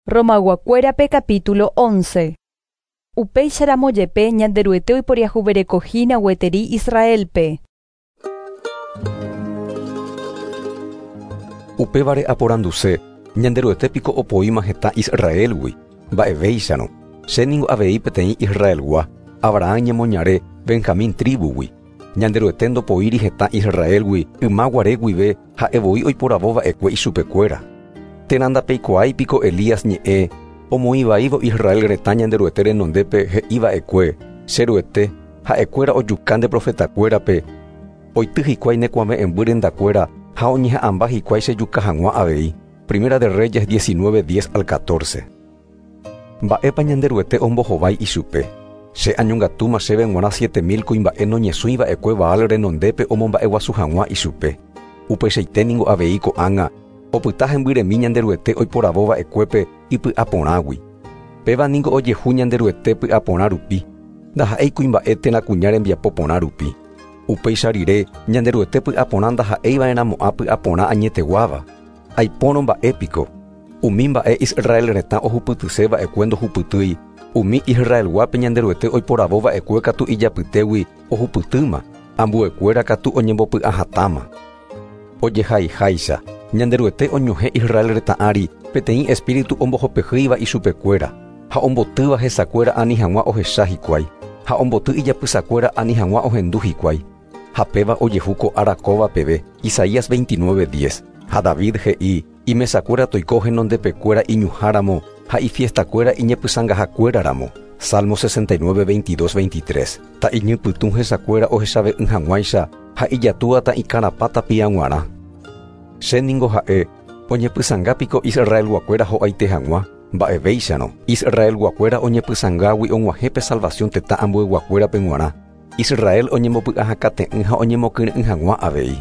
Romayguakuérape capítulo 11. Upéicharamo jepe Ñanderuete oiporiahuverekohína gueteri Israelpe. Upévare aporanduse, Ñanderuete piko opoíma hetã Israélgui? Mba'evéicharõ, che ningo avei peteĩ Israelgua, Abraham ñemoñare, Benjamín tríbugui. Ñanderuete ndopoíri hetã Israélgui yma guare guive ha'e voi oiporavo va'ekue ichupekuéra. Térã ndapeikuaái piko Elías ñe'ẽ omoĩ vaívo Israel retã Ñanderuete renondépe he'i va'ekue, Che Ruete, ha'ekuéra ojuka nde profetakuérape, oity hikuái ne kuave'ẽmby rendakuéra ha oñeha'ãmba hikuái chejuka hag̃ua avei. Primera de Reyes 19, 10 al 14. Mba'épa Ñanderuete ombohovái ichupe? Che añongatúma chéve g̃uarã 7000 kuimba'e noñesũi va'ekue Baal renondépe omomba'eguasu hag̃ua ichupe. Upeichaite ningo avei ko'ág̃a, opyta hembyremi Ñanderuete oiporavo va'ekuépe ipy'aporãgui. Péva ningo ojehu Ñanderuete py'aporã rupi, ndaha'éi kuimba'e térã kuña rembiapo porã rupi. Upéicha rire, Ñanderuete py'aporã ndaha'éi va'erãmo'ã py'aporã añeteguáva. Aipórõ mba'e piko? Umi mba'e Israel retã ohupytyse va'ekue ndohupytýi, umi Israelguápe Ñanderuete oiporavo va'ekue katu ijapytégui ohupytýma, ambuekuéra katu oñembopy'ahatãma. Ojehaiháicha, Ñanderuete oñohẽ Israel retã ári peteĩ espíritu ombohopehýiva ichupekuéra, ha ombotýva hesakuéra ani hag̃ua ohecha hikuái, ha omboty ijapysakuéra ani hag̃ua ohendu hikuái. Ha péva ojehu ko ára kóva peve, Isaías 29, 10. Ha David he'i, Imesakuéra toiko henondepekuéra iñuhã ramo ha ifiestakuéra iñepysangahakuéra ramo. Salmo 69, 22, 23. Ta'iñypytũ hesakuéra ohechave'ỹ hag̃uáicha ha ijatúa ta'ikarapã tapia g̃uarã. Che ningo ha'e, oñepysanga piko Israelguakuéra ho'aite hag̃ua? Mba'evéicharõ, Israelguakuéra oñepysangágui og̃uahẽ pe salvación tetã ambueguakuérape g̃uarã. Israel oñembopy'ahakate'ỹ ha oñemokyre'ỹ hag̃ua avei.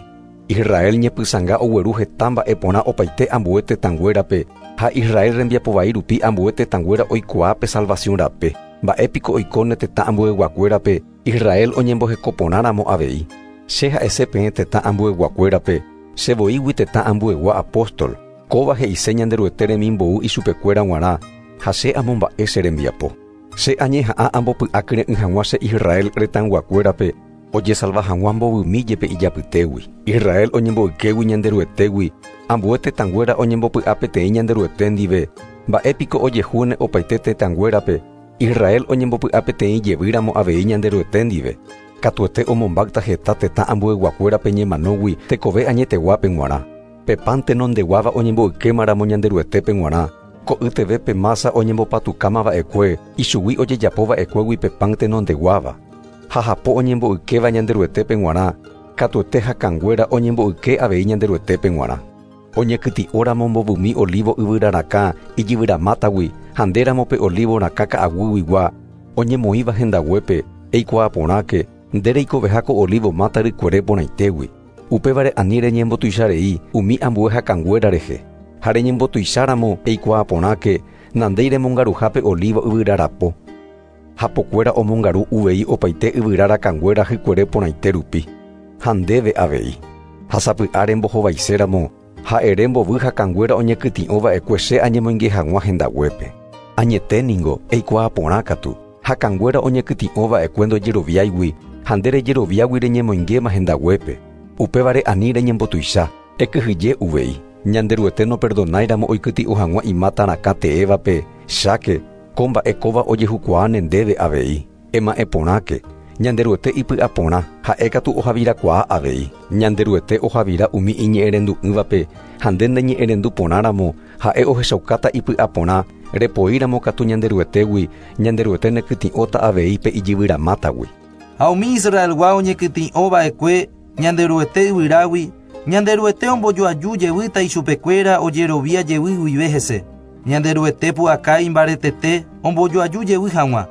Israel ñepysanga ogueru heta mba'e porã opaite ambue tetãnguérape ha Israel rembiapo vai rupi ambue tetãnguéra oikuaa pe salvación rape. Mba'e piko oikóne tetã ambueguakuérape Israel oñemboheko porãramo avei. Che ha'ese peẽ tetã ambueguakuérape, che voígui tetã ambuegua apóstol, kóva he'ise Ñanderuete remimbou ichupekuéra g̃uarã ha che amomba'e che rembiapo. Che añeha'ã ambopy'akyre'ỹ hag̃ua che Israel retãyguakuérape ojesalva hag̃ua mbovymi jepe ijapytégui. Israel oñemboykégui Ñanderuetégui, ambue tetãnguéra oñembopy'a peteĩ Ñanderuete ndive, mba'e piko ojehúne opaite tetãnguérape, Israel oñembopy'a peteĩ jevýramo avei Ñanderuete ndive. Katuete omombáyta heta tetã ambueyguakuérape ñemanógui tekove añeteguápe g̃uarã. Pe pan tenondeguáva oñemboykémaramo Ñanderuetépe g̃uarã, ko'yteve pe masa oñembopatukáma va'ekue, ichugui ojejapo va'ekuégui pe pan tenondeguáva. Ha hapo oñemboykéva Ñanderuetépe g̃uarã, katuete hakãnguéra oñemboyke avei Ñanderuetépe g̃uarã. Oñekytĩ'óramo mbovymi olivo yvyra rakã ijyvyramátagui ha ndéramo pe olivo rakã ka'aguyguigua oñemoĩva hendaguépe, eikuaa porãke, nde reikoveha ko olivo máta rykuere porãitégui. Upévare ani reñembotuicharei umi ambue hakãnguéra rehe. Ha reñembotuicháramo eikuaa porãke, nandéi remongaruha pe olivo yvyra rapo. Hapokuéra omongaru uvei opaite yvyra rakãnguéra hykuere porãite rupi. Ha ndéve avei. Ha sapy'a rembohovaiséramo, ha ere mbovy hakãnguéra oñekytĩ'o va'ekue che añemoinge hag̃ua hendaguépe. Añete ningo, eikuaa porã katu, hakãnguéra oñekytĩ'o va'ekue ndojeroviáigui ha nde rejeroviágui reñemoingéma hendaguépe. Upévare ani reñembotuicha, ekyhyje uvei. Ñanderuete noperdonáiramo oikytĩ'o hag̃ua imáta rakã teévape, cháke, ko mba'e kóva ojehukuaáne ndéve avei. Ema'ẽ porãke, Ñanderuete ipy'aporã, ha'e katu ohavirakuaa avei. Ñanderuete ohavira umi iñe'ẽrendu'ỹvape ha nde neñe'ẽrendu porãramo, ha'e ohechaukáta ipy'aporã, repoíramo katu Ñanderuetégui, Ñanderuete nekytĩ'óta avei pe ijyvyramátagui. Ha umi Israelgua oñekytĩ'o va'ekue Ñanderuete yvyrágui, Ñanderuete ombojoaju jevýta ichupekuéra ojerovia jevy guive hese. Ñanderuete pu'aka imbaretete ombojoaju jevy hag̃ua.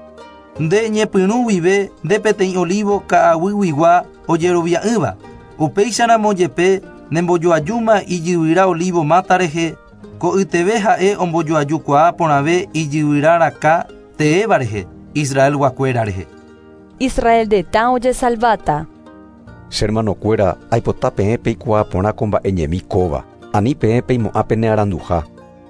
Nde ñepyrũ guive nde peteĩ olivo ka'aguyguigua ojerovia'ỹva. Upéicharamo jepe nembojoajúma ijyvyra olivo máta rehe, ko'yteve ha'e ombojoajukuaa porãve ijyvyra rakã teéva rehe, Israelguakuéra rehe. Israel retã ojesalváta. Che hermanokuéra, aipota peẽ peikuaa porã ko mba'e ñemi kóva. Ani peẽ peimo'ã pene aranduha.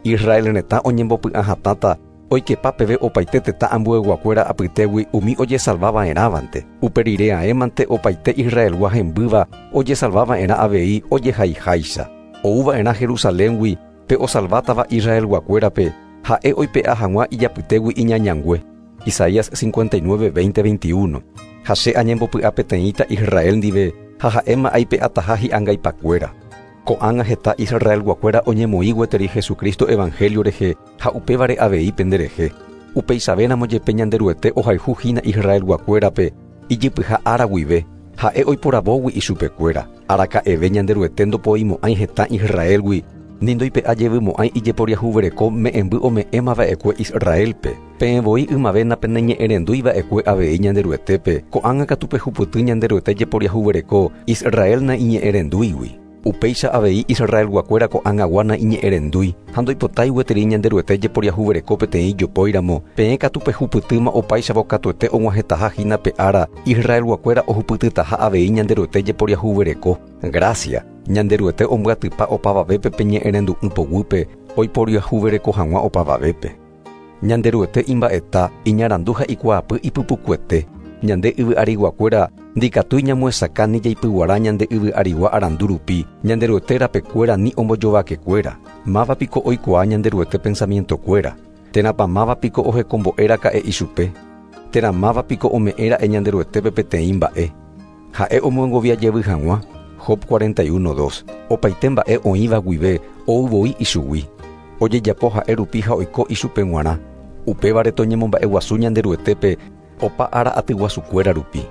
Israel retã oñembopy'ahatãta oikepa peve opaite tetã ambueyguakuéra apytégui umi ojesalvava'erãvante. Upe rire aémante opaite Israelgua hembýva ojesalvava'erã avei ojehaiháicha. Ouva'erã Jerusaléngui pe osalvátava Israelguakuérape ha'e oipe'a hag̃ua ijapytégui iñañangue. Isaías 59, 20, 21. Ha che añembopy'apeteĩta Israel ndive ha ha'éma aipe'ataha hi'angaipakuéra. Ko'ág̃a heta Israelguakuéra oñemoĩ gueteri Jesucristo evangelio rehe ha upévare avei penderehe. Upeichavéramo jepe Ñanderuete ohayhuhína Israelguakuérape ijypyha ára guive, ha'e oiporavógui ichupekuéra. Araka'eve Ñanderuete ndopoimo'ãi hetã Israelgui, ni ndoipe'a jevymo'ãi ijeporiahuvereko me'ẽmby ome'ẽmava'ekue Israelpe. Peẽ voi ymave napeneñe'ẽrenduiva'ekue avei Ñanderuetépe, ko'ág̃a katu pehupyty Ñanderuete jeporiahuvereko Israel naiñe'ẽrendúigui. Upéicha avei Israelguakuéra ko'ág̃agua naiñe'ẽrendúi ha ndoipotái gueteri Ñanderuete jeporiahuvereko peteĩ jopóiramo, peẽ katu pehupytýma opáichavo katuete og̃uahẽtaha hína pe ára Israelguakuéra ohupytytaha avei Ñanderuete jeporiahuvereko. Gracia, Ñanderuete ombyatypa opavavépe peñe'ẽrendu'ỹ poguýpe oiporiahuvereko hag̃ua opavavépe. Ñanderuete imba'eta, iñarandu ha ikuaapy ipypukuete. Ñande yvy'ariguakuéra ndikatúi ñamoesakã ni jaipyguara ñande yvy'arigua arandu rupi, Ñanderuete rapekuéra ni ombojovakekuéra. Mávapiko oikuaa Ñanderuete pensamientokuéra. Térãpa mávapiko ohekombo'éraka'e ichupe. Térã mávapiko ome'ẽra'e Ñanderuetépe peteĩ mba'e. Ha'e omyengovia jevy hag̃ua. Job 41, 2. Opaite mba'e oĩva guive ou voi ichugui. Ojejapo ha'e rupi ha oiko ichupe g̃uarã. Upévare toñemomba'eguasu Ñanderuetépe opa ára atyguasukuéra rupi.